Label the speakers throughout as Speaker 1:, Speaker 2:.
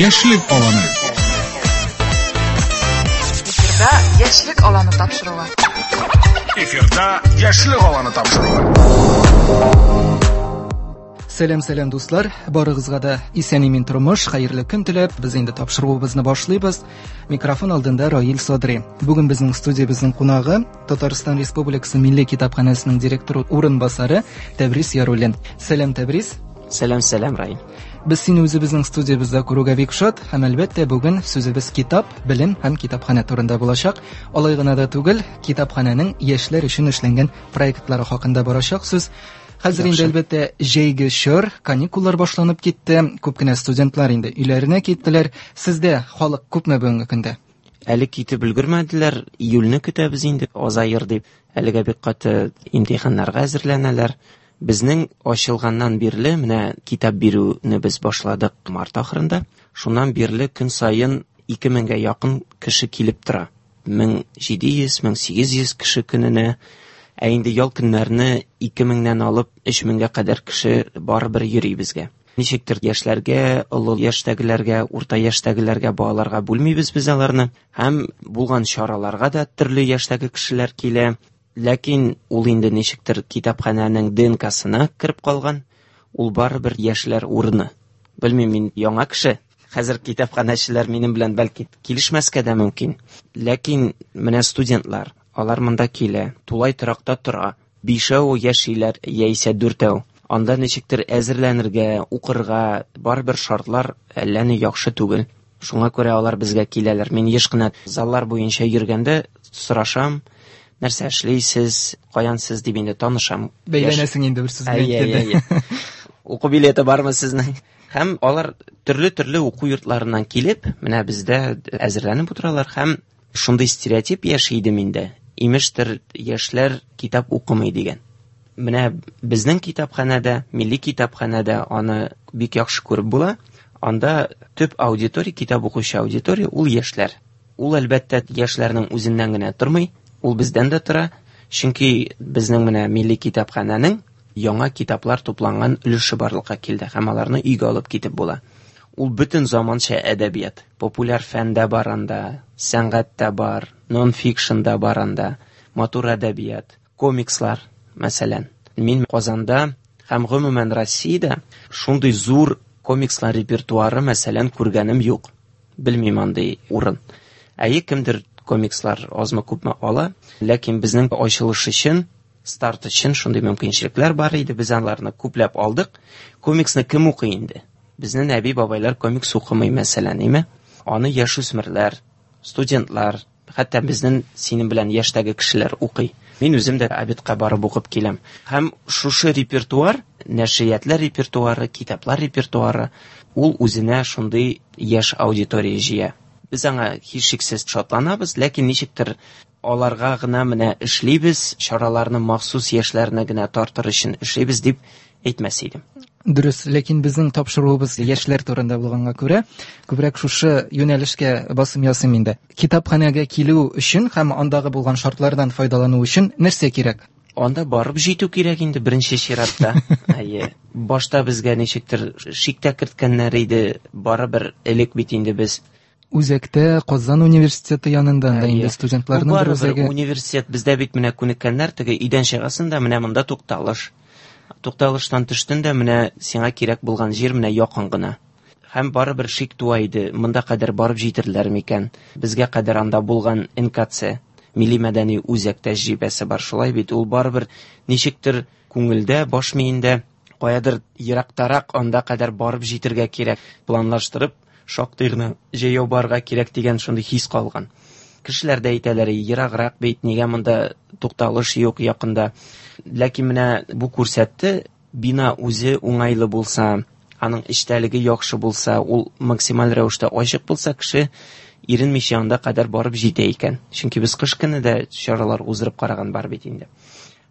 Speaker 1: Яшьлек аланы.
Speaker 2: Эфирда Яшьлек аланы тапшыруы.
Speaker 1: Эфирда Яшьлек аланы тапшыруы.
Speaker 3: Сәлам, сәлам, дуслар. Барыгызга да исән-имин тормыш, хәерле көн теләп, без инде тапшыруыбызны башлыйбыз. Микрофон алдында Раил Садри. Бүген безнең студиябезнең кунагы Татарстан Республикасы Милли китапханәсенең директоры урынбасары Тәбрис Яруллин. Сәлам, Тәбрис.
Speaker 4: Сәлам, сәлам, Раил.
Speaker 3: Без сине үзебезнең студиябездә күрүгә бик шат һәм әлбәттә бүген сүзебез китап, белем һәм китапханә турында булачак. Алай гына да түгел, китапханәнең яшьләр өчен эшләнгән проектлары хакында барачак сүз. Хәзер инде әлбәттә җәйге чор, каникуллар башланып китте. Күп кенә студентлар инде өйләренә киттеләр. Сездә халык күпме бүгенге көндә?
Speaker 4: Әле китеп өлгермәделәр, июльне көтәбез инде, азаер дип. Әлегә бик каты имтиханнарга әзерләнәләр. Безнең ачылганнан бирле, менә китап бирүне без башладык март ахырында. Шуннан бирле көн саен 2000гә якын кеше килеп тора. 1700, 1800 кеше көненә. Ә инде ял көннәрне 2000нән алып 3000гә кадәр кеше барыбер йөри безгә. Ничектер яшьләргә, олы яшьтәгеләргә, урта яшьтәгеләргә, балаларга бүлмибез без аларны. Һәм булган чараларга да төрле яшьтәге кешеләр килә. Ләкин ул инде ничектер китапханәнең ДНКсына кереп калган. Ул барыбер яшьләр урыны. Белмим, мин яңа кеше. Хәзер китапханәчеләр минем белән бәлки килешмәскә дә мөмкин. Ләкин менә студентлар, алар монда килә, тулай торакта тора. Бишәү яшиләр яисә дүртәү. Анда ничектер әзерләнергә, укырга барыбер шартлар әллә ни яхшы түгел. Шуңа күрә алар безгә киләләр. Мин еш кына заллар буенча йөргәндә сорашам, нәрсә эшлисез, каян сез дип инде танышам.
Speaker 3: Бәйләнәсең инде бер сүз белән
Speaker 4: әйткәндә. Уку билеты бармы сезнең? Һәм алар төрле-төрле уку йортларыннан килеп, менә бездә әзерләнеп утыралар һәм шундый стереотип яши иде миндә. Имештер, яшьләр китап укымый дигән. Менә безнең китапханәдә, милли китапханәдә аны бик яхшы күреп була. Анда төп аудитория, китап укучы аудитория ул яшьләр. Ул әлбәттә яшьләрнең үзеннән генә тормый, ул бездән дә тора. Чөнки безнең менә милли китапханәнең яңа китаплар тупланган өлеше барлыкка килде һәм аларны өйгә алып китеп була. Ул бөтен заманча әдәбият. Популяр фән дә бар анда, сәнгать тә бар, нон-фикшн да бар анда, матур әдәбият, комикслар, мәсәлән. Мин Казанда һәм гомумән Россиядә шундый зур комикслар репертуары, мәсәлән, күргәнем юк. Белмим андый урын. Әйе, кемдер комикслар азмы күпме ала, ләкин безнең ачылыш өчен, старт өчен шундый мөмкинчелекләр бар иде. Без аларны күпләп алдык. Комиксны кем укый инде? Безнең әби-бабайлар комикс укымый, мәсәлән, име? Аны яшүсмерләр, студентлар, хәтта безнең синең белән яшьтәге кешеләр укый. Мин үзем дә обедка барып укып киләм. Һәм шушы репертуар, нәшриятлар репертуары, китаплар репертуары, ул үзенә шундый яшь аудитория җыя. Без аңа һичшиксез шатланабыз, ләкин ничектер аларга гына менә эшлибез, чараларны махсус яшьләрне генә тартыр өчен эшлибез дип әйтмәс идем.
Speaker 3: Дөрес, ләкин безнең тапшыруыбыз яшьләр турында булганга күрә, күбрәк шушы юнәлешкә басым ясыйм инде. Китапханәгә килү өчен һәм андагы булган шартлардан файдалану өчен нәрсә кирәк?
Speaker 4: Анда барып җитү кирәк инде беренче чиратта. Әйе. Башта безгә ничектер шик тә керткәннәр иде, барыбер элек бит инде без
Speaker 3: Үзәктә Казан университеты янында анда инде студентларның бер үзәге.
Speaker 4: Университет бездә бит менә күнеккәннәр, теге өйдән чыгасың да менә монда тукталыш. Тукталыштан төштең дә менә сиңа кирәк булган җир менә якын гына. Һәм барыбер шик туа иде, монда кадәр барып җитерләр микән? Безгә кадәр анда булган НКЦ, Милли мәдәни үзәк тәҗрибәсе бар, шулай бит, ул барыбер ничектер күңелдә, баш миендә каядыр ерактарак анда кадәр барып җитергә кирәк, планлаштырып, шактый гына җәяү барырга кирәк дигән шундый хис калган. Кешеләр дә әйтәләр, ераграк бит, нигә монда тукталыш юк якында. Ләкин менә бу күрсәтте, бина үзе уңайлы булса, аның эчтәлеге яхшы булса, ул максималь рәвештә ачык булса, кеше иренмичә анда кадәр барып җитә икән. Чөнки без кыш көне дә чаралар уздырып караган бар бит инде.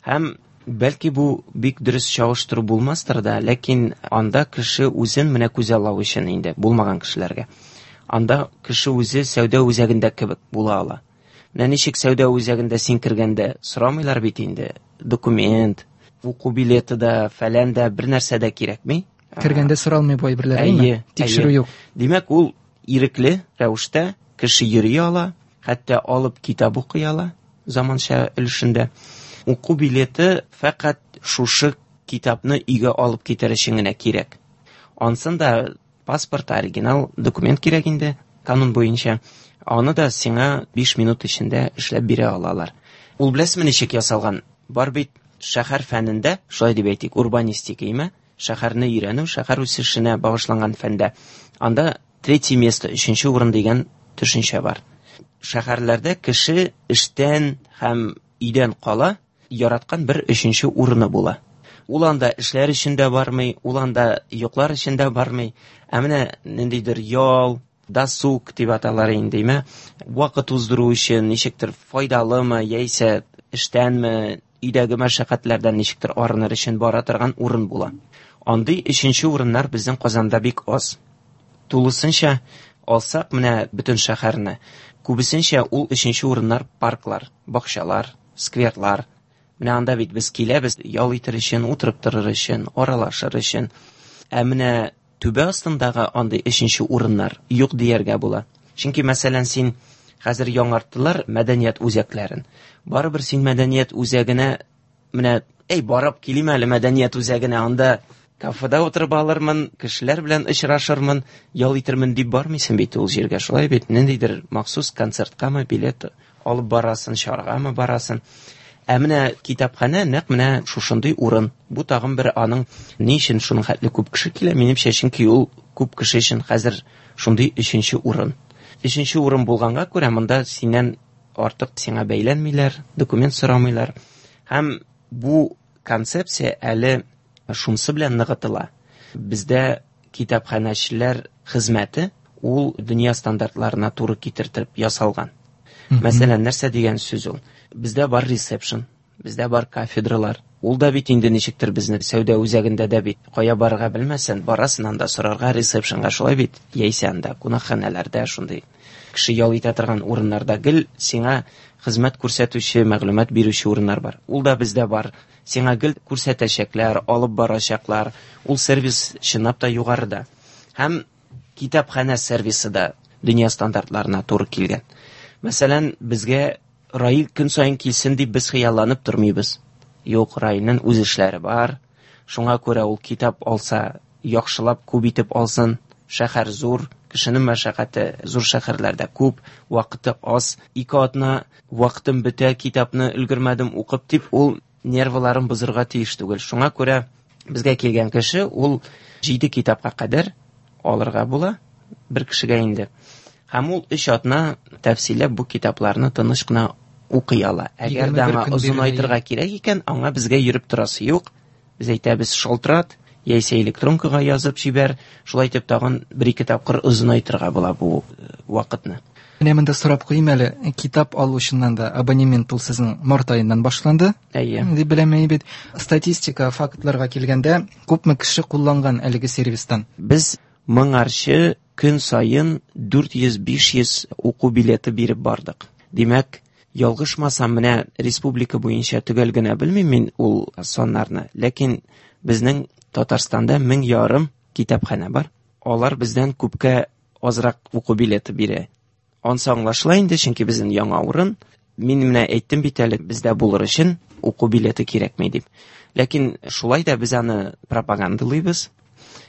Speaker 4: Һәм бәлки бу бик дөрес чагыштыру булмастыр да, ләкин анда кеше үзен менә күзаллау өчен инде булмаган кешеләргә. Анда кеше үзе сәүдә үзәгендә кебек була ала. Менә ничек сәүдә үзәгендә син кергәндә сорамыйлар бит инде документ, уку билеты да, фәлән дә, бер нәрсә дә кирәкми.
Speaker 3: Кергәндә соралмый бу әйберләр, әйеме? Тикшерү юк.
Speaker 4: Димәк, ул ирекле рәвештә кеше йөри ала, хәтта алып китап укый ала заманча өлешендә. Уку билеты фәкать шушы китапны өйгә алып китәр өчен генә кирәк. Ансын да паспорт, оригинал документ кирәк инде, канун буенча. Аны да сиңа 5 минут эчендә эшләп бирә алалар. Ул беләсезме ничек ясалган? Бар бит шәһәр фәнендә, шулай дип әйтик, урбанистика име, шәһәрне өйрәнү, шәһәр үсешенә багышланган фәндә. Анда третье место, өченче урын дигән төшенчә бар. Шәһәрләрдә кеше эштән һәм өйдән кала яраткан бер өченче урыны була. Ул анда эшләр өчен дә бармый, ул анда йоклар өчен дә бармый. Ә менә ниндидер ял, досуг дип аталар инде, име? Вакыт уздыру өчен ничектер файдалымы, яисә эштәнме, өйдәге мәшәкатьләрдән ничектер арыныр өчен бара торган урын була. Андый өченче урыннар безнең Казанда бик аз. Тулысынча алсак, менә бөтен шәһәрне, күбесенчә ул өченче урыннар парклар, бакчалар, скверлар. Менә анда бит без киләбез ял итер өчен, утырып торыр өчен, аралашыр өчен. Ә менә түбә астындагы андый өченче урыннар юк дияргә була. Чөнки, мәсәлән, син хәзер яңарттылар мәдәният үзәкләрен. Барыбер син мәдәният үзәгенә менә, эй, барып килим әле мәдәният үзәгенә, анда кафеда утырып алырмын, кешеләр белән очрашырмын, ял итермен дип бармыйсың бит ул җиргә, шулай бит? Ниндидер махсус концерткамы билет алып барасың, чарагамы барасың. Ә менә китапханә нәкъ менә шушындый урын. Бу тагын бер аның ни өчен шуның хәтле күп кеше килә? Минемчә, чөнки ул күп кеше өчен хәзер шундый өченче урын. Өченче урын булганга күрә монда синнән артык сиңа бәйләнмиләр, документ сорамыйлар. Һәм бу концепция әле шунысы белән ныгытыла. Бездә китапханәчеләр хезмәте ул дөнья стандартларына туры китереп ясалган. Мәсәлән, нәрсә дигән сүз ул? Бездә бар ресепшн, бездә бар кафедралар. Ул да бит инде ничектер безне сәүдә үзәгендә дә бит кая барырга белмәсән, барасың анда сорарга ресепшнга, шулай бит? Яисә анда кунакханәләрдә шундый кеше ял итә торган урыннарда гел сиңа хезмәт күрсәтүче, мәгълүмат бирүче урыннар бар. Ул да бездә бар. Сиңа гел күрсәтәчәкләр, алып барачаклар. Ул сервис чынлап та югарыда. Һәм китапханә сервисы да дөнья стандартларына туры килгән. Мәсәлән, безгә Раил көн саен килсен дип без хыялланып тормыйбыз. Юк, Раилнең үз эшләре бар. Шуңа күрә ул китап алса, яхшылап күп итеп алсын. Шәһәр зур, кешенең мәшәкате зур шәһәрләрдә күп, вакыты аз. 2 атна вакытым бетә, китапны өлгермәдем укып дип, ул нервыларын бозырга тиеш түгел. Шуңа күрә безгә килгән кеше ул 7 китапка кадәр алырга була бер кешегә инде. Һәм ул 3 атна тәфсилләп бу китапларны тыныч кына укый ала. Әгәр дә аңа озынайтырга кирәк икән, аңа безгә йөреп торасы юк. Без әйтәбез, шалтырат, яисә электронкага язып җибәр. Шулай итеп тагын 1-2 тапкыр озынайтырга була бу вакытны.
Speaker 3: Менә монда сорап куйым әле, китап алу чыннан да абонемент ул сезнең март аеннан башланды.
Speaker 4: Әйе.
Speaker 3: Дип беләм бит. Статистика, фактларга килгәндә, күпме кеше кулланган әлеге сервистан?
Speaker 4: Без моңарчы көн саен 400-500 уку билеты биреп бардык. Димәк, ялгышмасам, менә республика буенча төгәл генә белмим мин ул саннарны, ләкин безнең Татарстанда 1500 китапханә бар. Алар бездән күпкә азрак уку билеты бирә. Ансы аңлашыла инде, чөнки безнең яңа урын. Мин менә әйттем бит әле, бездә булыр өчен уку билеты кирәкми дип. Ләкин шулай да без аны пропагандалыйбыз.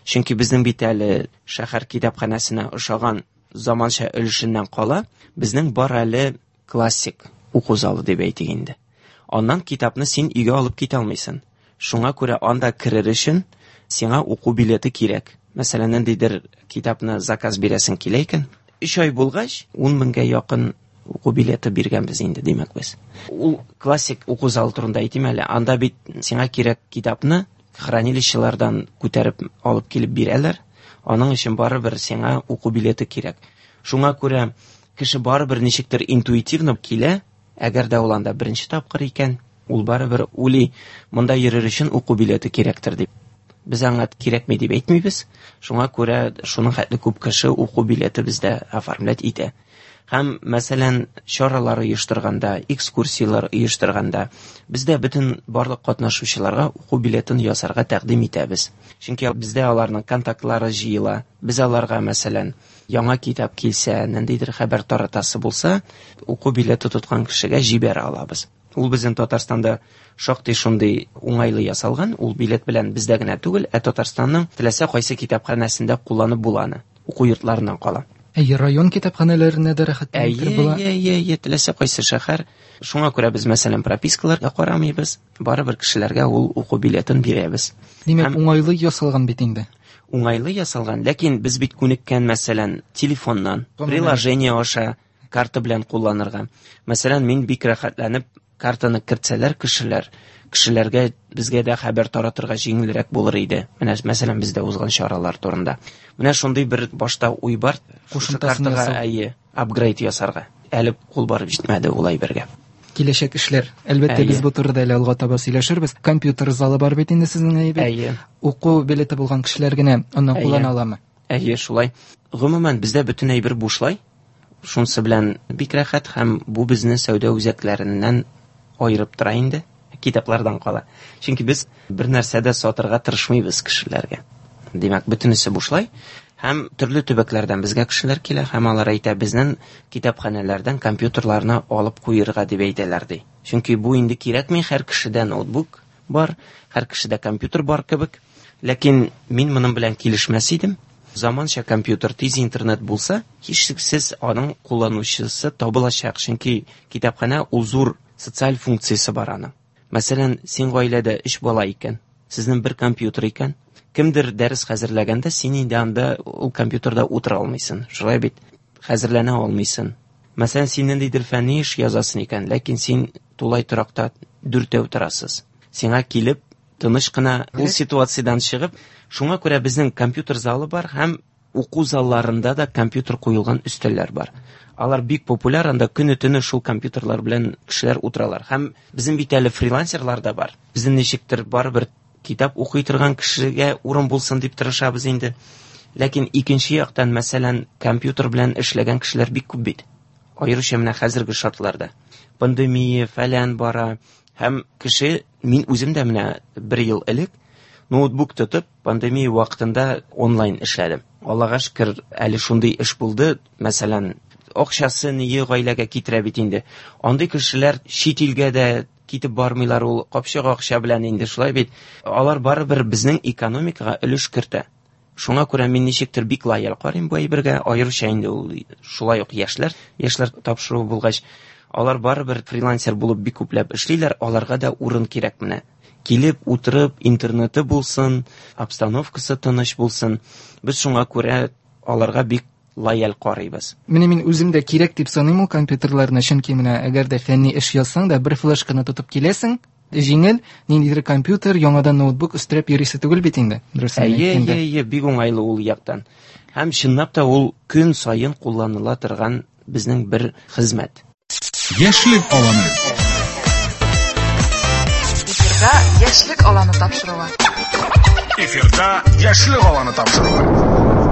Speaker 4: Чөнки безнең бит әле шәһәр китапханәсенә ошаган заманча өлешеннән кала, безнең бар әле классик уку залы дип әйтик инде. Аннан китапны син өйгә алып китә алмыйсың. Шуңа күрә анда керер өчен сиңа уку билеты кирәк. Мәсәлән, ниндидер китапны заказ бирәсең килә икән, 3 ай булгач, 10 меңгә якын уку билеты биргәнбез инде, димәк без. Ул классик уку залы турында әйтим әле. Анда бит сиңа кирәк китапны хранилищелардан күтәреп алып килеп бирәләр. Аның өчен барыбер сиңа уку билеты кирәк. Шуңа күрә кеше барыбер ничектер интуитивно килә, әгәр дә ул анда беренче тапкыр икән, ул барыбер уйлый, монда йөрер өчен уку билеты кирәктер дип. Без аңа кирәкми дип әйтмибез. Шуңа күрә шуның хәтле күп кеше уку билеты бездә оформлять итә. Һәм, мәсәлән, чаралар оештырганда, экскурсияләр оештырганда, без дә бөтен барлык катнашучыларга уку билетын ясарга тәкъдим итәбез. Чөнки бездә аларның контактлары җыела. Без аларга, мәсәлән, яңа китап килсә, ниндидер хәбәр таратасы булса, уку билеты тоткан кешегә җибәрә алабыз. Ул безнең Татарстанда шактый шундый уңайлы ясалган, ул билет белән бездә генә түгел, ә Татарстанның теләсә кайсы китапханәсендә кулланып була аны, уку йортларыннан кала.
Speaker 3: Әйе, район китапханәләренә дә рәхәтләнеп кереп була.
Speaker 4: Әйе, әйе, әйе, теләсә кайсы шәһәр. Шуңа күрә без, мәсәлән, пропискаларга карамыйбыз, барыбер кешеләргә ул уку билетын бирәбез.
Speaker 3: Димәк, уңайлы ясалган бит инде.
Speaker 4: Уңайлы ясалган, ләкин без бит күнеккән, мәсәлән, телефоннан, приложение аша карта белән кулланырга. Мәсәлән, мин бик рәхәтләнеп картаны кертсәләр кешеләр, кешеләргә безгә дә хәбәр таратырга җиңелрәк булыр иде. Менә, мәсәлән, бездә узган чаралар турында. Менә шундый бер башта уй бар.
Speaker 3: Кушымтасын ясау.
Speaker 4: Әйе, апгрейд ясарга. Әле кул барып җитмәде ул әйбергә.
Speaker 3: Киләчәк эшләр. Әлбәттә, без бу турыда әле алга таба сөйләшербез. Компьютер залы бар бит инде сезнең, әйе бит?
Speaker 4: Әйе.
Speaker 3: Уку билеты булган кешеләр генә аны куллана аламы?
Speaker 4: Әйе, шулай. Гомумән, бездә бөтен әйбер бушлай. Шунысы белән бик рәхәт, һәм бу безне сәүдә үзәкләреннән аерып тора инде, китаплардан кала. Чөнки без бер нәрсә дә сатырга тырышмыйбыз кешеләргә. Димәк, бөтенесе бушлай. Һәм төрле төбәкләрдән безгә кешеләр килә, һәм алар әйтә, безнең китапханәләрдән компьютерларны алып куерга дип әйтәләр, ди. Чөнки бу инде кирәкми, һәр кешедә ноутбук бар, һәр кешедә компьютер бар кебек. Ләкин мин моның белән килешмәс идем. Заманча компьютер, тиз интернет булса, һичшиксез аның кулланучысы табылачак. Чөнки китапханә ул зур социаль функциясе бар аның. Мәсәлән, син гаиләдә 3 бала икән, сезнең бер компьютер икән, кемдер дәрес хәзерләгәндә син инде анда ул компьютерда утыра алмыйсың. Шулай бит, хәзерләнә алмыйсың. Мәсәлән, син ниндидер фәнни эш язасың икән, ләкин син тулай торакта дүртәү торасыз. Сиңа килеп тыныч кына ул ситуациядән чыгып, шуңа күрә безнең компьютер залы бар һәм уку залларында да компьютер куелган өстәлләр бар. Алар бик популяр, анда көне-төне шул компьютерлар белән кешеләр утыралар. Һәм безнең бит әле фрилансерлар да бар. Безнең ничектер барыбер китап укый торган кешегә урын булсын дип тырышабыз инде. Ләкин икенче яктан, мәсәлән, компьютер белән эшләгән кешеләр бик күп бит. Аеруча менә хәзерге шартларда. Пандемия фәлән бара. Һәм кеше, мин үзем дә менә бер ел элек ноутбук тотып, пандемия вакытында онлайн эшләдем. Аллага шөкер, әле шундый эш булды. Мәсәлән, акчасы ние гаиләгә китерә бит инде. Андый кешеләр чит илгә дә китеп бармыйлар, ул капчык акча белән инде, шулай бит. Алар барыбер безнең экономикага өлеш кертә. Шуңа күрә мин ничектер бик лояль карыйм бу әйбергә, аеруча инде ул шулай ук яшьләр, яшьләр тапшыруы булгач, алар барыбер фрилансер булып бик күпләп эшлиләр, аларга да урын кирәк менә. Килеп, утырып, интернеты булсын, обстановкасы тыныч булсын. Без шуңа күрә аларга бик лояль карыйбыз.
Speaker 3: Менә мин үзем дә кирәк дип саныйм ул компьютерларны, чөнки менә әгәр дә фәнни эш язсаң да, бер флешканы тотып киләсең, җиңел, ниндидер компьютер, яңадан ноутбук өстерәп йөрисе түгел бит инде, дөресен
Speaker 4: Әйе,
Speaker 3: әйткәндә.
Speaker 4: әйе, әйе, бик уңайлы ул яктан. Һәм чынлап та ул көн саен кулланыла торган безнең бер хезмәт.
Speaker 1: Яшьлек аланы.
Speaker 2: Эфирда Яшьлек аланы тапшыруы.
Speaker 1: Эфирда Яшьлек аланы тапшыруы.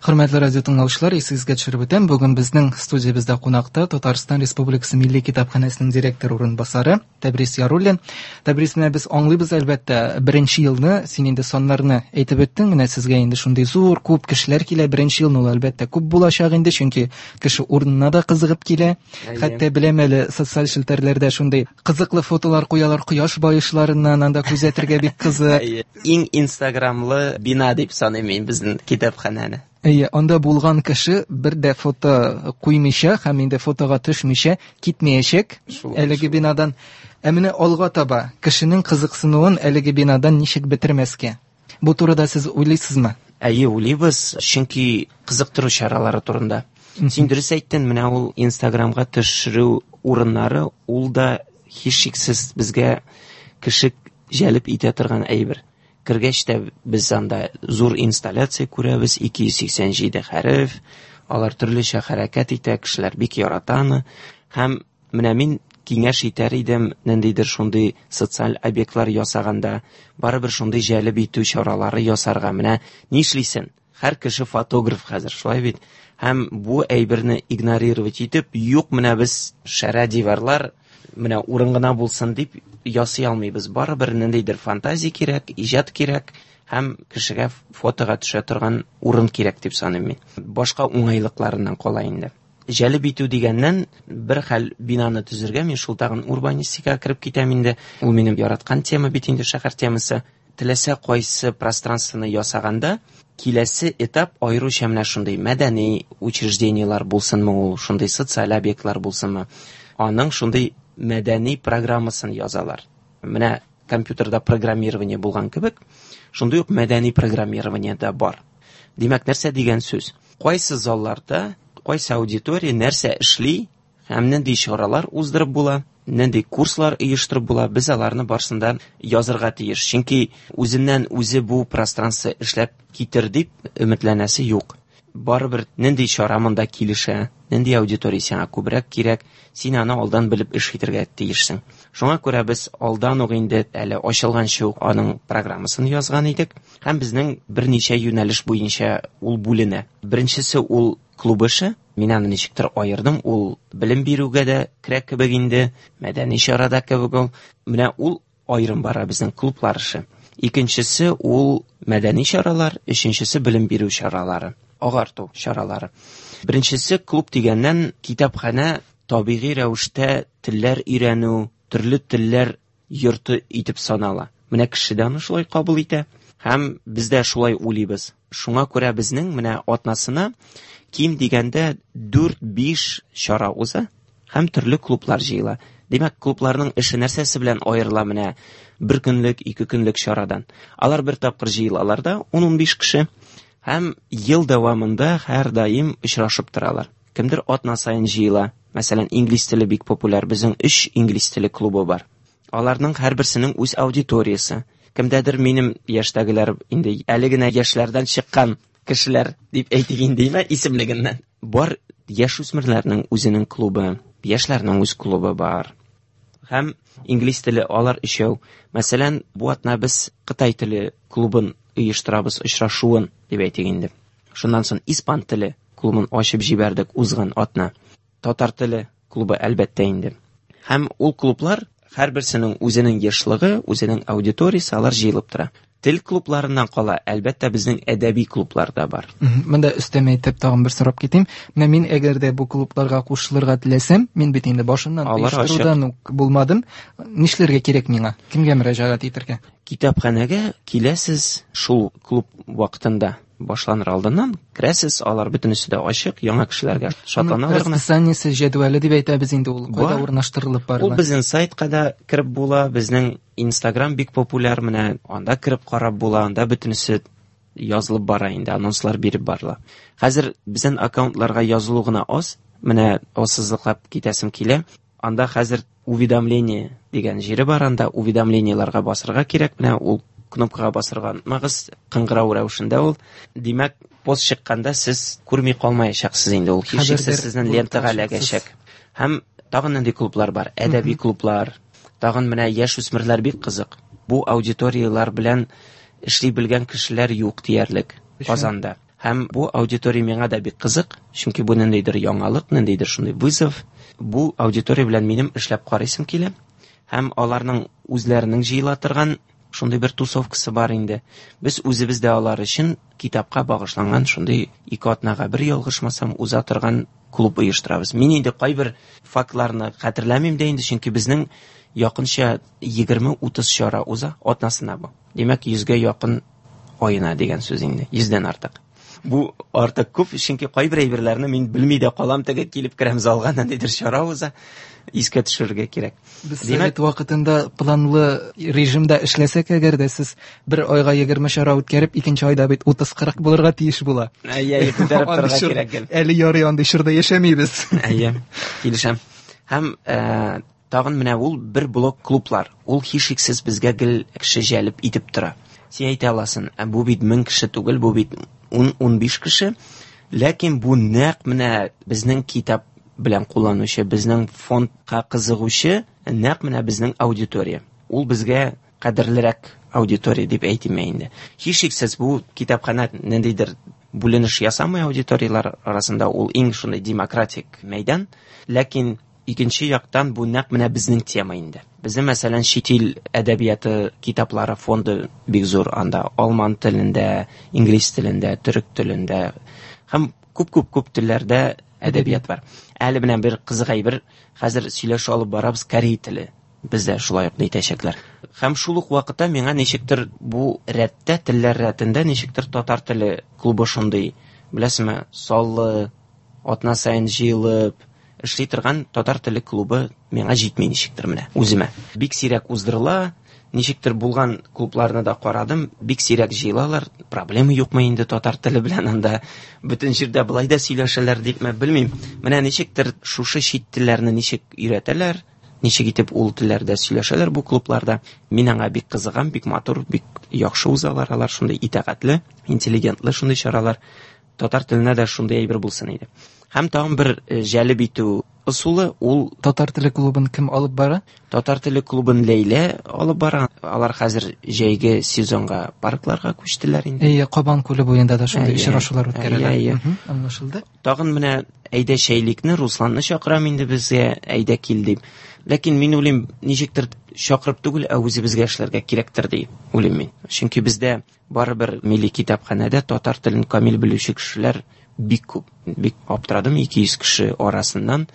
Speaker 3: Хөрмәтле радио тыңлаучылар, исегезгә төшереп үтәм, бүген безнең студиябездә кунакта Татарстан Республикасы Милли китапханәсенең директор урынбасары Тәбрис Яруллин. Тәбрис, менә без аңлыйбыз әлбәттә, беренче елны син инде саннарны әйтеп үттең, менә сезгә инде шундый зур күп кешеләр килә, беренче елны ул әлбәттә күп булачак инде, чөнки кеше урынына да кызыгып килә.
Speaker 4: Әйе.
Speaker 3: Хәтта беләм әле, социаль челтәрләрдә шундый кызыклы фотолар куялар кояш баешларыннан, анда күзәтергә бик кызык.
Speaker 4: Әйе. Иң инстаграмлы бина дип саныйм мин безнең китапханәне.
Speaker 3: Әйе, анда булган кеше бер дә фото куймыйча һәм инде фотога төшмичә китмәячәк
Speaker 4: Шулай,
Speaker 3: әлеге
Speaker 4: шулай.
Speaker 3: бинадан. Ә менә алга таба кешенең кызыксынуын әлеге бинадан ничек бетермәскә? Бу турыда сез уйлыйсызмы?
Speaker 4: Әйе, уйлыйбыз, чөнки кызыктыру чаралары турында. Син дөрес әйттең, менә ул Инстаграмга төшерү урыннары, ул да һичшиксез безгә кеше җәлеп итә торган әйбер. Кергәч тә без анда зур инсталляция күрәбез, 287 хәреф, алар төрлечә хәрәкәт итә, кешеләр бик ярата аны. Һәм менә мин киңәш итәр идем, ниндидер шундый социаль объектлар ясаганда, барыбер шундый җәлеп итү чаралары ясарга. Менә нишлисең? Һәр кеше фотограф хәзер, шулай бит. Һәм бу әйберне игнорировать итеп, юк, менә без шәрә диварлар, менә урын гына булсын дип ясый алмыйбыз. Барыбер ниндидер фантазия кирәк, иҗат кирәк һәм кешегә фотога төшә торган урын кирәк дип саныйм мин. Башка уңайлыкларыннан кала инде. Җәлеп итү дигәннән, бер хәл бинаны төзергә, мин шул тагын урбанистикага кереп китәм инде. Ул минем яраткан тема бит инде, шәһәр темасы. Теләсә кайсы пространствоны ясаганда, киләсе этап аеруча менә шундый мәдәни учреждениелар булсынмы ул, шундый социаль объектлар булсынмы, аның шундый мәдәни программасын язалар. Менә компьютерда программирование булган кебек, шундый ук мәдәни программирование дә бар. Димәк, нәрсә дигән сүз? Кайсы залларда, кайсы аудитория нәрсә эшли һәм нинди чаралар уздырып була, нинди курслар оештырып була, без аларны барысын да язырга тиеш. Чөнки үзеннән үзе бу пространство эшләп китер дип өметләнәсе юк. Барыбер нинди чара монда килешә, нинди аудитория сиңа күбрәк кирәк, син аны алдан белеп эш итәргә тиешсең. Шуңа күрә без алдан ук инде әле ачылганчы ук аның программасын язган идек һәм безнең берничә юнәлеш буенча ул бүленә. Беренчесе ул клуб эше. Мин аны ничектер аердым, ул белем бирүгә дә керә кебек инде, мәдәни чара да кебек ул. Менә ул аерым бара безнең клублар эше. Икенчесе ул мәдәни чаралар, өченчесе белем бирү чаралары, агарту чаралары. Беренчесе клуб дигәннән, китапханә табигый рәвештә телләр өйрәнү, төрле телләр йорты итеп санала. Менә кеше дә аны шулай кабул итә һәм без дә шулай уйлыйбыз. Шуңа күрә безнең менә атнасына ким дигәндә 4-5 чара уза һәм төрле клублар җыела. Димәк, клубларның эше нәрсәсе белән аерыла менә бер көнлек, ике көнлек чарадан? Алар бер тапкыр җыелалар да, 10-15 кеше һәм ел дәвамында һәрдаим очрашып торалар. Кемдер атна саен җыела. Мәсәлән, инглиз теле бик популяр. Безнең 3 инглиз теле клубы бар. Аларның һәрберсенең үз аудиториясе. Кемдәдер минем яшьтәгеләр инде әле генә яшьләрдән чыккан кешеләр дип әйтик инде, исемлегеннән. Бар яшүсмерләрнең үзенең клубы, яшьләрнең үз клубы бар. Һәм инглиз теле алар өчәү. Мәсәлән, бу атна без Кытай теле клубын оештырабыз, очрашуын дип әйтик инде. Шуннан соң испан теле клубын ачып җибәрдек узган атна. Татар теле клубы әлбәттә инде. Һәм ул клублар һәрберсенең үзенең ешлыгы, үзенең аудиториясе, алар җыелып тора. Тел клубларыннан кала, әлбәттә, безнең әдәби клублар да бар.
Speaker 3: Монда өстәмә итеп тагын бер сорап китим. Менә мин әгәр дә бу клубларга кушылырга теләсәм, мин бит инде башыннан оештырудан ук булмадым. Нишләргә кирәк миңа? Кемгә мөрәҗәгать итәргә?
Speaker 4: Китапханәгә киләсез шул клуб вакытында башланыр алдыннан керәсез, алар бөтенесе дә ачык, яңа кешеләргә шатланалар
Speaker 3: гына. Расписаниесе, җәдвәле дип әйтәбез инде ул, кайда урнаштырылып барыла?
Speaker 4: Ул безнең сайтка да кереп була, безнең Инстаграм бик популяр, менә анда кереп карап була, анда бөтенесе язылып бара инде, анонслар биреп барыла. Хәзер безнең аккаунтларга язылу гына аз, менә ассызыклап китәсем килә. Анда хәзер уведомление дигән җире бар, анда уведомлениеларга басырга кирәк, менә ул кнопкага басырга онытмагыз, кыңгырау рәвешендә ул. Димәк, пост чыкканда сез күрми калмаячаксыз инде, ул һичшиксез сезнең лентага эләгәчәк. Һәм тагын нинди клублар бар? Әдәби клублар, тагын менә яшүсмерләр бик кызык. Бу аудиторияләр белән эшли белгән кешеләр юк диярлек Казанда. Һәм бу аудитория миңа да бик кызык, чөнки бу ниндидер яңалык, ниндидер шундый вызов. Бу аудитория белән минем эшләп карыйсым килә. Һәм аларның үзләренең җыела торган шундый бер тусовкасы бар инде. Без үзебез дә алар өчен китапка багышланган шундый ике атнага бер ялгышмасам уза торган клуб оештырабыз. Мин инде кайбер фактларны хәтерләмим дә инде, чөнки безнең якынча 20-30 чара уза атнасына бу. Димәк, 100гә якын аена дигән сүз инде, 100дән артык. Бу артык күп, чөнки кайбер әйберләрне мин белми дә калам, теге килеп керәм залга, ниндидер чара уза, искә төшерергә кирәк.
Speaker 3: Без совет вакытында планлы режимда эшләсәк, әгәр дә сез бер айга 20 чара үткәреп, икенче айда бит 30-40 булырга тиеш була.
Speaker 4: Әйе, күтәреп торырга кирәк.
Speaker 3: Әле ярый андый чорда яшәмибез.
Speaker 4: Әйе, килешәм. Һәм тагын менә ул бер блок клублар. Ул һичшиксез безгә гел кеше җәлеп итеп тора. Син әйтә аласың, бу бит 1000 кеше түгел, бу бит 10-15 кеше. Ләкин бу нәкъ менә безнең китап белән кулланучы, безнең фондка кызыгучы, нәкъ менә безнең аудитория. Ул безгә кадерлерәк аудитория дип әйтим инде. Һичшиксез бу китапханә ниндидер бүленеш ясамый аудиторияләр арасында, ул иң шундый демократик мәйдан. Ләкин икенче яктан бу нәкъ менә безнең тема инде. Безнең, мәсәлән, чит ил әдәбияты китаплары фонды бик зур, анда алман телендә, инглиз телендә, төрек телендә һәм күп-күп-күп телләрдә әдәбият бар. Әле менә бер кызык әйбер, хәзер сөйләшә алып барабыз корей теле. Бездә шулай ук әйтәчәкләр. Һәм шул ук вакытта миңа ничектер бу рәттә, телләр рәтендә ничектер татар теле клубы шундый, беләсезме, саллы, атна саен җыелып эшли торган татар теле клубы миңа җитми ничектер менә үземә. Бик сирәк уздырыла, ничектер булган клубларны да карадым, бик сирәк җыелалар. Проблема юкмы инде татар теле белән анда? Бөтен җирдә былай да сөйләшәләр дипме, белмим. Менә ничектер шушы чит телләрне ничек өйрәтәләр, ничек итеп ул телләрдә сөйләшәләр бу клубларда. Мин аңа бик кызыгам, бик матур, бик яхшы узалар алар, шундый итагатьле, интеллигентлы шундый чаралар. Татар теленә дә шундый әйбер булсын иде. Һәм тагын бер җәлеп итү ысулы ул
Speaker 3: татар теле клубын кем алып бара?
Speaker 4: Татар теле клубын Ләйлә алып бара. Алар хәзер җәйге сезонга паркларга күчтеләр инде.
Speaker 3: Әйе, Кабан күле буенда да шундый очрашулар үткәрәләр. Аңлашылды.
Speaker 4: Тагын менә әйдә чәйлекне, Русланны чакырам инде безгә, әйдә кил дип. Ләкин мин уйлыйм, ничектер чакырып түгел, ә үзебезгә эшләргә кирәктер дип уйлыйм мин. Чөнки бездә барыбер милли китапханәдә татар телен камил белүче кешеләр бик күп. Бик аптырадым, 200 кеше арасыннан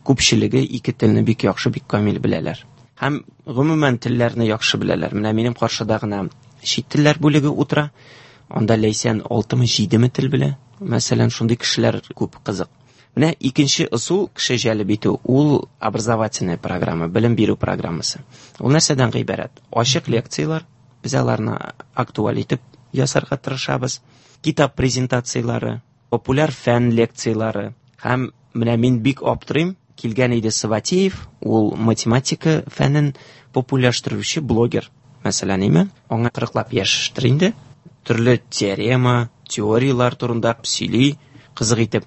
Speaker 4: күпчелеге ике телне бик яхшы, бик камил беләләр. Һәм гомумән телләрне яхшы беләләр. Менә минем каршыда гына чит телләр бүлеге утыра. Анда Ләйсән 6-мы 7-ме тел белә. Мәсәлән, шундый кешеләр күп, кызык. Менә икенче ысул кеше җәлеп итү, ул образовательная программа, белем бирү программасы. Ул нәрсәдән гыйбарәт? Ачык лекцияләр, без аларны актуаль итеп ясарга тырышабыз. Китап презентацияләре, популяр фән лекцияләре. Һәм менә мин бик аптырыйм, килгән иде Саватеев, ул математика фәнен популярлаштыручы блогер. Мәсәлән, име? Аңа 40лап яшьтер инде. Төрле теорема, теорияләр турында сөйли, кызык итеп.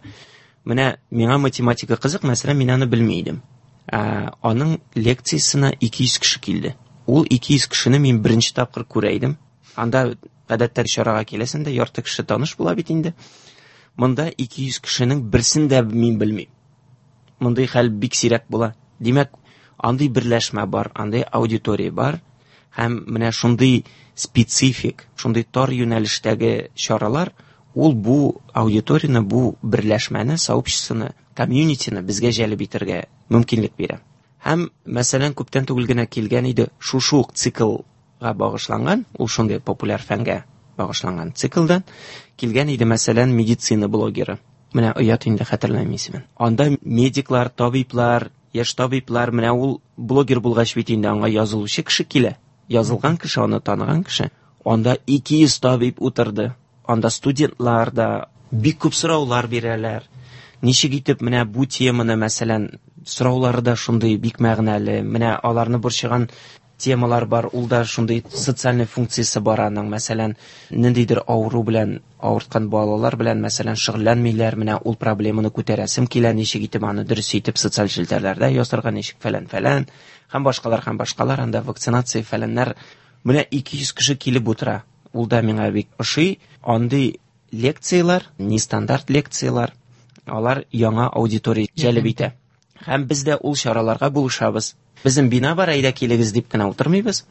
Speaker 4: Менә миңа математика кызык, мәсәлән, мин аны белми идем. Аның лекциясенә 200 кеше килде. Ул 200 кешене мин беренче тапкыр күрә идем. Анда гадәттә чарага киләсең дә, ярты кеше таныш була бит инде. Монда 200 кешенең берсен дә мин белмим. Мондый хәл бик сирәк була. Димәк, андый берләшмә бар, андый аудитория бар. Һәм менә шундый специфик, шундый тар юнәлештәге чаралар, ул бу аудиторияне, бу берләшмәне, сообществоны, комьюнитины безгә җәлеп итәргә мөмкинлек бирә. Һәм, мәсәлән, күптән түгел генә килгән иде, шушы ук циклга багышланган, ул шундый популяр фәнгә багышланган циклдан килгән иде, мәсәлән, медицина блогеры. Менә оят инде, хәтерләмим исемен. Анда медиклар, табиблар, яшь табиблар, менә ул блогер булгач бит инде аңа язылучы кеше килә. Язылган кеше, аны таныган кеше. Анда 200 табиб утырды. Анда студентлар да бик күп сораулар бирәләр. Ничек итеп менә бу теманы, мәсәлән, сораулары да шундый бик мәгънәле. Менә аларны борчыган темалар бар, ул да шундый социальный функциясе бар аның. Мәсәлән, ниндидер авыру белән авырткан балалар белән, мәсәлән, шөгыльләнмиләр, менә ул проблеманы күтәрәсем килә, ничек итеп аны дөрес итеп социаль челтәрләрдә ясарга, ничек фәлән-фәлән, һәм башкалар, һәм башкалар, анда вакцинация фәләннәр. Менә 200 кеше килеп утыра. Ул да миңа бик ошый. Андый лекцияләр, нестандарт лекцияләр, алар яңа аудитория җәлеп итә. Һәм без дә ул чараларга булышабыз. Безнең бина бар, әйдә килегез дип кенә утырмыйбыз.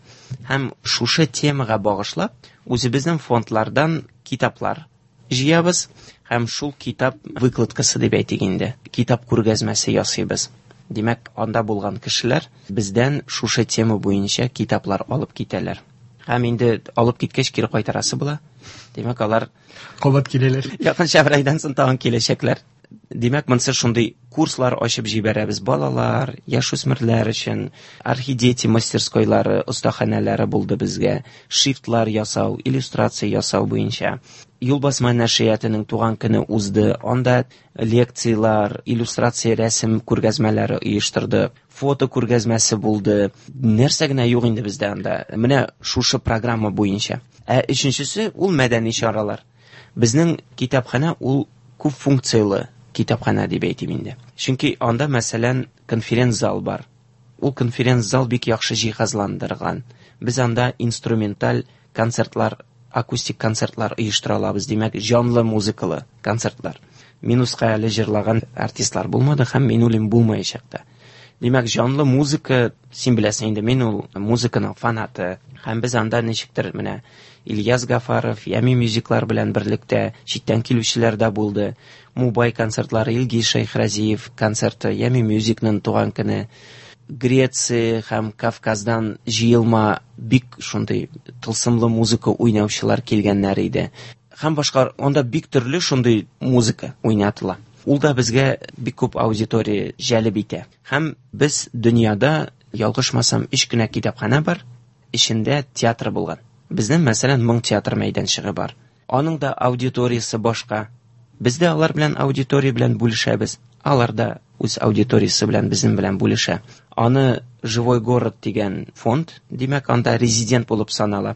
Speaker 4: Һәм шушы темага багышлап, үзебезнең фондлардан китаплар җыябыз һәм шул китап выкладкасы дип әйтик инде, китап күргәзмәсе ясыйбыз. Димәк, анда булган кешеләр бездән шушы тема буенча китаплар алып китәләр. Һәм инде алып киткәч кире кайтарасы була. Димәк, алар
Speaker 3: кабат киләләр.
Speaker 4: Якынча бер айдан соң тагын киләчәкләр. Димәк, монысы шундый курслар ачып җибәрәбез балалар, яшүсмерләр өчен, архидети мастерскойлары, остаханәләре булды безгә, шрифтлар ясау, иллюстрация ясау буенча. Юлбасма нәшриятының туган көне узды, анда лекциялар, иллюстрация, рәсем күргәзмәләре оештырды, фото күргәзмәсе булды. Нәрсә генә юк инде бездә анда. Менә шушы программа буенча. Ә өченчесе ул мәдәни чаралар. Безнең китапханә ул күп функцияле китапханә дип әйтим инде. Чөнки анда, мәсәлән, конференц-зал бар. Ул конференц-зал бик яхшы җиһазландырган. Без анда инструменталь концертлар акустик концертлар оештыра алабыз. Димәк, җанлы музыкалы концертлар. Минуска әле җырлаган артистлар булмады һәм мин уйлыйм булмаячак та. Димәк, җанлы музыка, син беләсең инде, мин ул музыканың фанаты. Һәм без анда ничектер менә Ильяс Гафаров, Ями мюзиклар белән берлектә читтән килүчеләр дә булды. Мубай концертлары, Илгиз Шәйхразиев концерты, Ями мюзикның туган көне. Греция һәм Кавказдан җыелма бик шундый тылсымлы музыка уйнаучылар килгәннәр иде. Һәм башка анда бик төрле шундый музыка уйнатыла. Ул да безгә бик күп аудитория җәлеп итә. Һәм без дөньяда, ялгышмасам, 3 кенә китапханә бар, эчендә театр булган. Безнең, мәсәлән, Моң театр мәйданчыгы бар. Аның да аудиториясе башка. Без дә алар белән аудитория белән бүлешәбез. Алар да үз аудиториясе белән безнең белән бүлешә. Аны Живой город дигән фонд, димәк, анда резидент булып санала.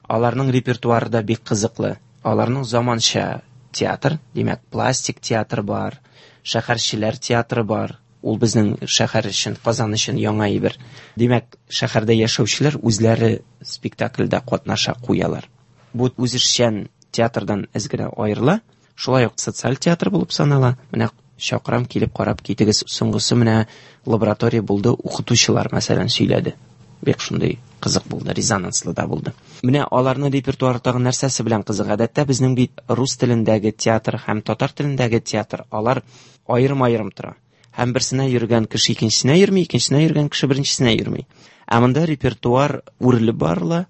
Speaker 4: Аларның репертуары да бик кызыклы. Аларның заманча театр, димәк, пластик театр бар, шәһәрчеләр театры бар. Ул безнең шәһәр өчен, Казан өчен яңа әйбер. Димәк, шәһәрдә яшәүчеләр үзләре спектакльдә катнаша куялар. Бу үзешчән театрдан әз генә аерыла. Шулай ук социаль театр булып санала. Менә чакырам, килеп карап китегез. Соңгысы менә лаборатория булды, укытучылар мәсәлән сөйләде. Бик шундый кызык булды, резонанслы да булды. Менә аларның репертуары тагын нәрсәсе белән кызык? Гадәттә безнең бит рус телендәге театр һәм татар телендәге театр, алар аерым-аерым тора. Һәм берсенә йөргән кеше икенчесенә йөрми, икенчесенә йөргән кеше беренчесенә йөрми. Ә монда репертуар үрелеп барыла.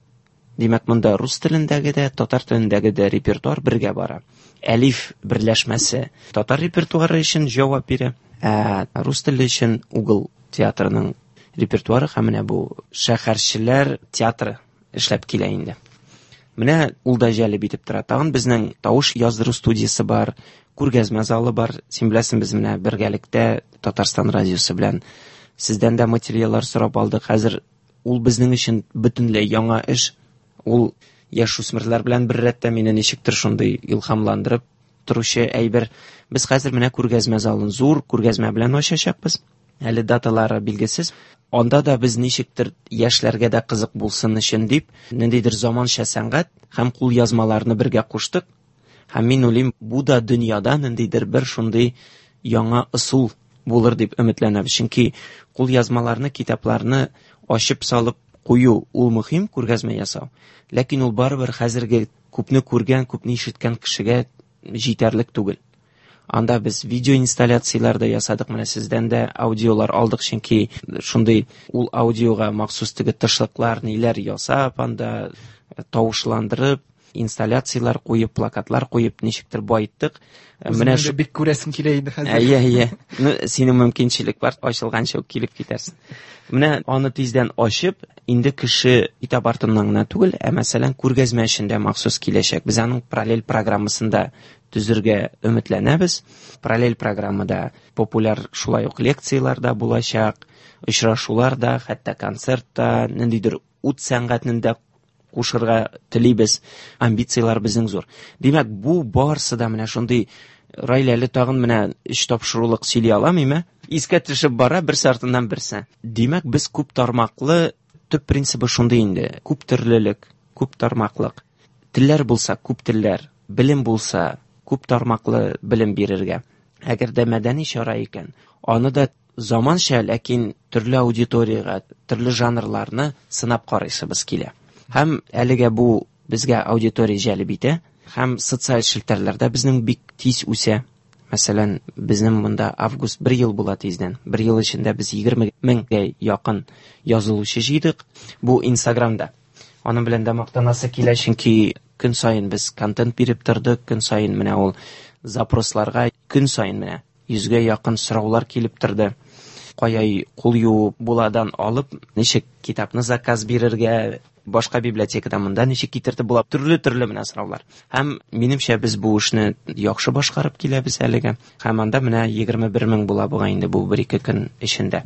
Speaker 4: Димәк, монда рус телендәге дә, татар телендәге дә репертуар бергә бара. Әлиф берләшмәсе татар репертуары өчен җавап бирә, ә рус теле өчен Угол театрының репертуары һәм менә бу шәһәрчеләр театры эшләп килә инде. Менә ул да җәлеп итеп тора. Тагын безнең тавыш яздыру студиясе бар, күргәзмә залы бар. Син беләсең, без менә бергәлектә Татарстан радиосы белән сездән дә материаллар сорап алдык. Хәзер ул безнең өчен бөтенләй яңа эш. Ул яшүсмерләр белән бер рәттә мине ничектер шундый илһамландырып торучы әйбер. Без хәзер менә күргәзмә залын зур күргәзмә белән ачачакбыз. Әле даталары билгесез. Анда да без ничектер яшьләргә дә кызык булсын өчен дип, ниндидер заманча сәнгать һәм кулъязмаларны бергә куштык. Һәм мин уйлыйм, бу да дөньяда ниндидер бер шундый яңа ысул булыр дип өметләнәбез. Чөнки кулъязмаларны, китапларны ачып салып кую ул мөһим, күргәзмә ясау. Ләкин ул барыбер хәзерге күпне күргән, күпне ишеткән кешегә җитәрлек түгел. Анда без видео инсталляцияләр дә ясадык, менә сездән дә аудиолар алдык, чөнки шундый ул аудиога махсус теге тышлыклар, ниләр ясап, анда тавышландырып, инсталляцияләр куеп, плакатлар куеп, ничектер байыттык.
Speaker 3: Менә шу бик күрәсем килә инде хәзер.
Speaker 4: Әйе, әйе. Ну, синең мөмкинчелек бар, ачылганчы ук килеп китәрсең. Менә аны тиздән ачып, инде кеше китап артыннан гына түгел, ә мәсәлән, күргәзмә өчен дә махсус киләчәк. Без аның параллель программасын да төзергә өметләнәбез. Параллель программада популяр шулай ук лекцияләр дә булачак, очрашулар да, хәтта концерт та, ниндидер ут сәнгатен дә кушырга телибез. Амбицияләр безнең зур. Димәк, бу барсы да менә шундый. Раил, әле тагын менә 3 тапшырулык сөйли алам, име? Искә төшеп бара берсе артыннан берсе. Димәк, без күп тармаклы, төп принцибы шундый инде. Күп төрлелек, күп тармаклык. Телләр булса, күп телләр, белем булса, күп тармаклы белем бирергә. Әгәр дә мәдәни чара икән, аны да заманча, ләкин төрле аудиториягә, төрле жанрларны сынап карыйсыбыз килә. Һәм әлегә бу безгә аудитория җәлеп итә, һәм социаль челтәрләрдә безнең бик тиз үсә. Мәсәлән, безнең монда август бер ел була тиздән. Бер ел эчендә без 20 меңгә якын язылучы җыйдык. Бу Инстаграмда. Аның белән дә мактанасы килә, чөнки көн саен без контент биреп тордык, көн саен менә ул запросларга көн саен менә 100гә якын сораулар килеп торды. Кая кул юу буладан алып, ничек китапны заказ бирергә, башка библиотекадан монда ничек китертеп була, төрле-төрле менә сораулар. Һәм минемчә без бу эшне яхшы башкарып киләбез әлегә. Һәм анда менә 21 мең була бугай инде бу бер-ике көн эчендә.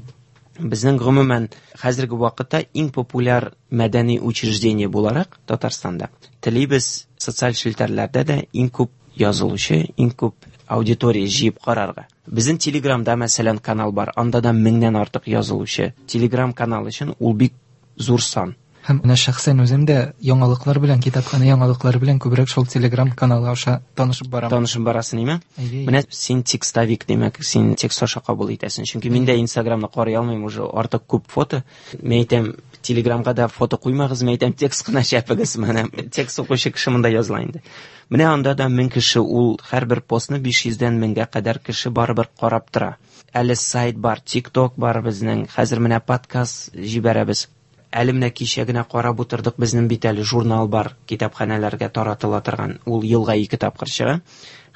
Speaker 4: Безнең гомумән хәзерге вакытта иң популяр мәдәни учреждение буларак Татарстанда телибез социаль челтәрләрдә дә иң күп язылучы, иң күп аудитория җыеп карарга. Безнең Телеграмда, мәсәлән, канал бар, анда да 1000-нән артык язылучы. Телеграм канал өчен ул бик зур сан.
Speaker 3: Һәм менә шәхсән үзем дә яңалыклар белән, китапханә яңалыклары белән күбрәк шул Telegram каналы аша танышып барам.
Speaker 4: Танышып барасың, име?
Speaker 3: Әйе.
Speaker 4: Менә син текстовик, димәк, син текст аша кабул итәсең. Чөнки мин дә Инстаграмны карый алмыйм, уже артык күп фото. Мин әйтәм, Телеграмга да фото куймагыз, мин әйтәм, текст кына чәпегез. Менә текст укучы кеше монда языла инде. Менә анда да 1000 кеше, ул һәрбер постны 500дән 1000гә кадәр кеше барыбер карап тора. Әле сайт бар, TikTok бар безнең. Хәзер менә подкаст җибәрәбез. Әле менә кичә генә карап утырдык, безнең бит әле журнал бар, китапханәләргә таратыла торган. Ул елга 2 тапкыр чыга.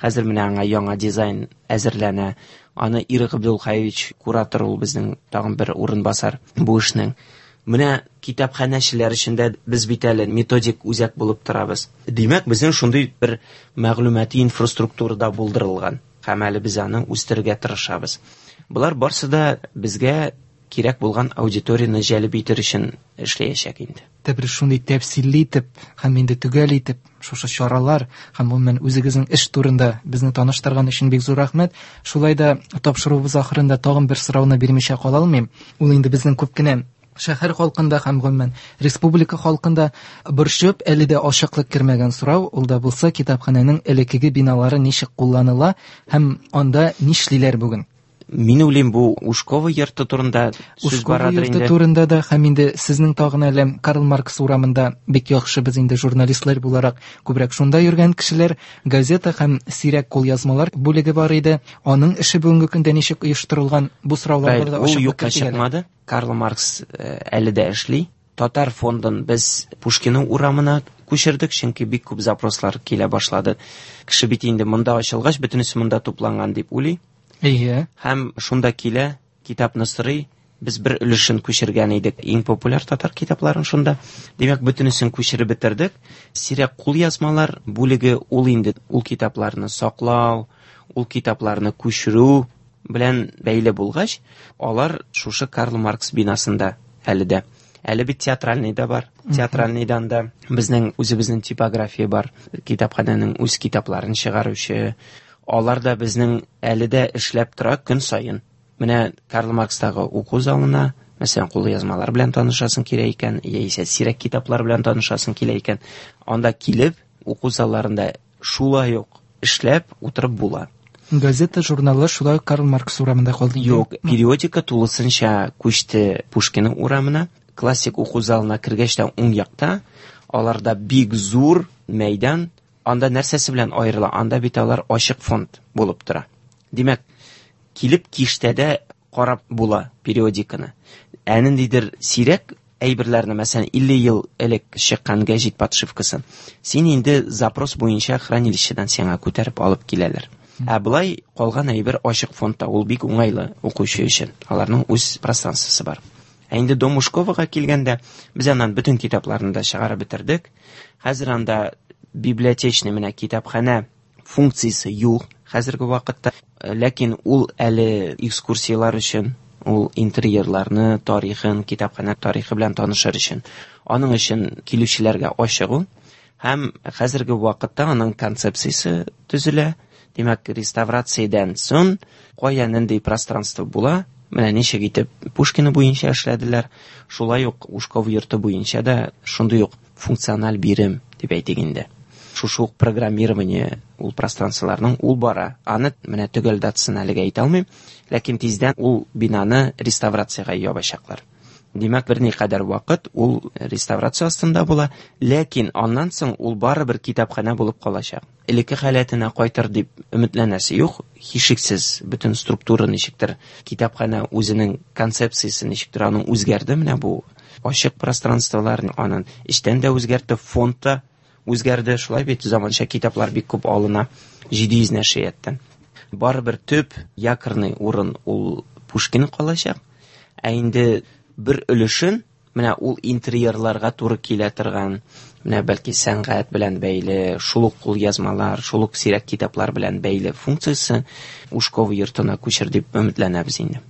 Speaker 4: Хәзер менә аңа яңа дизайн әзерләнә. Аны Ирек Абдулхаевич куратор, ул безнең тагын бер урынбасар бу эшнең. Менә китапханәчеләр өчен дә без бит әле методик үзәк булып торабыз. Димәк, безнең шундый бер мәгълүмати инфраструктура да булдырылган. Һәм әле без аны үстерергә тырышабыз. Болар барсы да безгә кирәк булган аудиторияне җәлеп итер өчен эшләячәк инде.
Speaker 3: Бер шундый тәфсилле итеп һәм инде төгәл итеп шушы чаралар һәм гомумән үзегезнең эш турында безне таныштырган өчен бик зур рәхмәт. Шулай да тапшыруыбыз ахырында тагын бер сорауны бирмичә кала алмыйм. Ул инде безнең күп кенә шәһәр халкында һәм гомумән республика халкында борчып әле дә ачыклык кермәгән сорау, ул да булса китапханәнең элеккеге биналары ничек кулланыла һәм анда нишлиләр бүген?
Speaker 4: Мин уйлыйм, бу Ушкова йорты турында сүз
Speaker 3: Ушкова
Speaker 4: барадыр
Speaker 3: йорты
Speaker 4: инде.
Speaker 3: турында да һәм инде сезнең тагын әле Карл Маркс урамында бик яхшы без инде журналистлар буларак күбрәк шунда йөргән кешеләр, газета һәм сирәк кулъязмалар бүлеге бар иде. Аның эше бүгенге көндә ничек оештырылган, бу сорауларга да
Speaker 4: Ул
Speaker 3: ачыклык
Speaker 4: юкка
Speaker 3: кертик әле.
Speaker 4: чыкмады. Карл Маркс әле дә эшли. Татар фондын без Пушкин урамына күчердек, чөнки бик күп запрослар килә башлады. Кеше бит инде монда ачылгач, бөтенесе монда тупланган дип уйлый.
Speaker 3: Әйе.
Speaker 4: Һәм шунда килә, китапны сорый. Без бер өлешен күчергән идек, иң популяр татар китапларын шунда. Димәк, бөтенесен күчереп бетердек. Сирәк кулъязмалар бүлеге ул инде ул китапларны саклау, ул китапларны күчерү белән бәйле булгач, алар шушы Карл Маркс бинасында әле дә. Әле бит театральный да бар. Театральныйдан да безнең үзебезнең типография бар. Китапханәнең үз китапларын чыгаручы. Алар да безнең әле дә эшләп тора көн саен. Менә Карл Маркстагы уку залына, мәсәлән, кулъязмалар белән танышасың килә икән, яисә сирәк китаплар белән танышасың килә икән, анда килеп уку залларында шулай ук эшләп утырып була.
Speaker 3: Газета, журналлар шулай ук Карл Маркс урамында калды инде.
Speaker 4: Юк, периодика тулысынча күчте Пушкин урамына. Классик уку залына кергәч тә уң якта аларда бик зур мәйдан. Анда нәрсәсе белән аерыла? Анда бит алар ачык фонд булып тора. Димәк, килеп киштәдә карап була периодиканы. Ә ниндидер сирәк әйберләрне, мәсәлән, 50 ел элек чыккан гәҗит подшивкасын, син инде запрос буенча хранилищедан сиңа күтәреп алып киләләр. Ә былай калган әйбер ачык фондта, ул бик уңайлы укучы өчен. Аларның үз пространствосы бар. Ә инде Дом Ушковага килгәндә, без аннан бөтен китапларны да чыгарып бетердек. Хәзер анда библиотечный менә китапханә функциясе юк хәзерге вакытта. Ләкин ул әле экскурсияләр өчен, ул интерьерларны, тарихын, китапханә тарихы белән танышыр өчен. Аның өчен килүчеләргә ачык ул. Һәм хәзерге вакытта аның концепциясе төзелә. Димәк, реставрациядән соң кая нинди пространство була, менә ничек итеп Пушкин буенча эшләделәр, шулай ук Ушков йорты буенча да шундый ук функциональ бирем дип әйтик инде. Шушы ук программирование ул пространстволарның ул бара. Аны менә төгәл датасын әлегә әйтә алмыйм, ләкин тиздән ул бинаны реставрациягә ябачаклар. Димәк, берникадәр вакыт ул реставрация астында була, ләкин аннан соң ул барыбер китапханә булып калачак. Элекке халәтенә кайтыр дип өметләнәсе юк, һичшиксез бөтен структура ничектер, китапханә үзенең концепциясе ничектер аның үзгәрде, менә бу ачык пространстволар аның эчтән дә үзгәртте, фонд та үзгәрде, шулай бит заманча китаплар бик күп алына 700 нәшрияттан. Барыбер төп якорный урын ул Пушкин калачак. Ә инде бер өлешен менә ул интерьерларга туры килә торган, менә бәлки сәнгать белән бәйле, шул ук кулъязмалар, шул ук сирәк китаплар белән бәйле функциясе Ушкова йортына күчер дип өметләнәбез инде.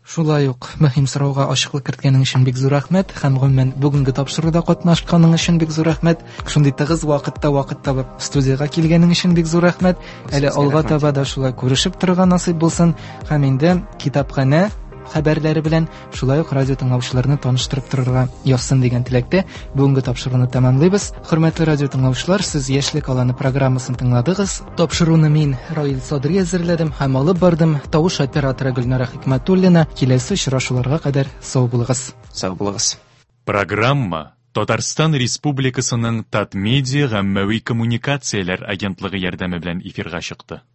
Speaker 3: Шулай ук мөһим сорауга ачыклык керткәнең өчен бик зур рәхмәт һәм гомумән бүгенге тапшыруда катнашканың өчен бик зур рәхмәт. Шундый тыгыз вакытта вакыт табып студиягә килгәнең өчен бик зур рәхмәт. Әле
Speaker 4: Сезгә
Speaker 3: алга
Speaker 4: рәхмәт.
Speaker 3: таба да шулай күрешеп торырга насыйп булсын һәм инде китапханә хәбәрләре белән шулай ук радио тыңлаучыларны таныштырып торырга язсын дигән теләктә бүгенге тапшыруны тәмамлыйбыз. Хөрмәтле радио тыңлаучылар, сез Яшьлек аланы программасын тыңладыгыз. Тапшыруны мин, Раил Садри әзерләдем һәм алып бардым. Тавыш операторы Гөлнара Хикмәтуллина. Киләсе очрашуларга кадәр сау булыгыз.
Speaker 4: Сау булыгыз.
Speaker 5: Программа Татарстан Республикасының Татмедиа гаммәви коммуникацияләр агентлыгы ярдәме белән эфирга чыкты.